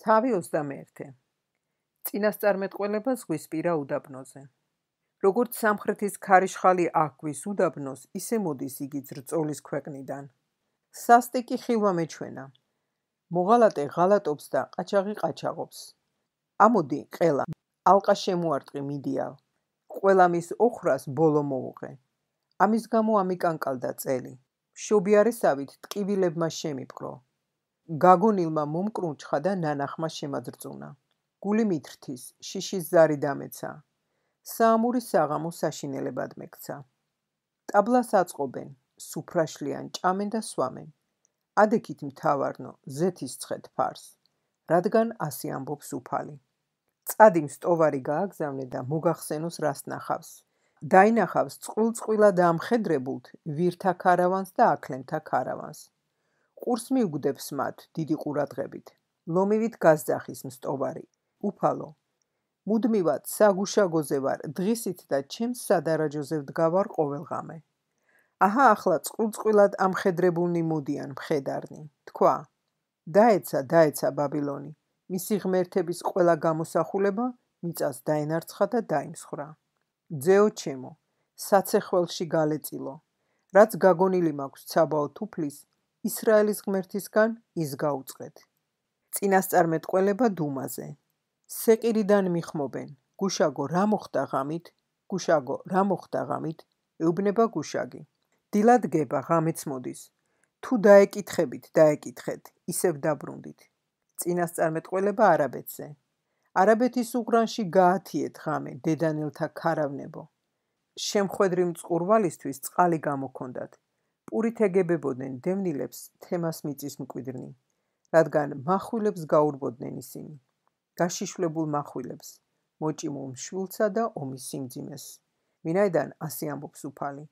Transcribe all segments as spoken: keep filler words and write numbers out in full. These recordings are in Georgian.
თავი ოცდამეერთე. წინასწარმეტყველება ზღვისპირა უდაბნოზე. როგორც სამხრეთის ქარიშხალი აჰქვის უდაბნოს, ისე მოდის იგი ძრწოლის ქვეყნიდან. სასტიკი ხილვა მეჩვენა. მოღალატე ღალატობს და ყაჩაღი ყაჩაღობს. ამოდი, ყელა, ალყა შემოარტყი მიდიალ. ყველა მის ოხრას ბოლო მოუღე. ამის გამო ამიკანკალდა წელი. მშობიარესავით ტკივილებმა შემიპყრო. გაგონილმა მომკრუნჩხა და ნანახმა შემაძრწუნა. გული მითრთის, შიშის ზარი დამეცა. საამური საღამო საშინელებად მექცა. ტაბლას აწყობენ, სუფრაშლიან, ჭამენ და სვამენ. ადექით მთავარნო, ზეთისცხეთ ფარს, რადგან ასე ამბობს უფალი. წადი მსტოვარი გააგზავნე და მოგახსენოს რას ნახავს. დაინახავს წყვილ-წყვილად ამხედრებულთ ვირთა ქარავანს და აქლემთა ქარავანს. ყურს მიუგდებს მათ დიდი ყურადღებით. ლომივით გასძახის მსტოვარი. უფალო, მუდმივად საგუშაგოზე ვარ დღისით და ჩემს სადარაჯოზე ვდგავარ ყოველღამე. აჰა ახლა წყვილ-წყვილად ამხედრებულნი მოდიან მხედარნი. თქვა, დაეცა, დაეცა ბაბილონი. მისი ღმერთების ყველა გამოსახულება მიწას დაენარცხა და დაიმსხვრა. ძეო ჩემო, საცეხველში გალეწილო. რაც გაგონილი მაქვს ცაბაო თუფლის, ისრაელის ღმერთისგან ის გაუწყეთ. წინასწარმეტყველება დუმაზე. სეყირიდან მიხმობენ. გუშაგო რა მოხდა ღამით? გუშაგო რა მოხდა ღამით? ეუბნება გუშაგი. დილად გება, ღამეც მოდის. თუ დაეკითხებით, დაეკითხეთ, ისევ დაბრუნდით. წინასწარმეტყველება არაბეთზე. არაბეთის უღრანში გაათიეთ ღამე, დედანელთა ქარავნებო. შემხვედრი მწყურვალისთვის წყალი გამოქონდათ. პურით ეგებებოდნენ დევნილებს თემას მიწის მკვიდრნი, რადგან מחვილებს გაურბოდნენ ისინი. გაშიშვლებულ מחვილებს, მოჭიმულ მშვილსა და ომის სიმძიმეს. ვინაიდან ასე ამბობს უფალი.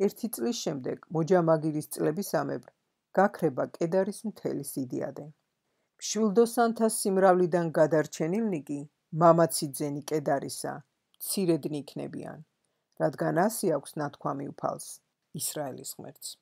ერთი წლის შემდეგ, მოჯამაგირის წლებისამებრ, გაქრება კედარის მთელი სიდიადე. მშვილდოსანთა სიმრავლიდან გადარჩენილნი კი, მამაცი ძენი კედარისა, მცირედნი იქნებიან, რადგან ასე აქვს ნათქვამი უფალს, ისრაელის ღმერთს.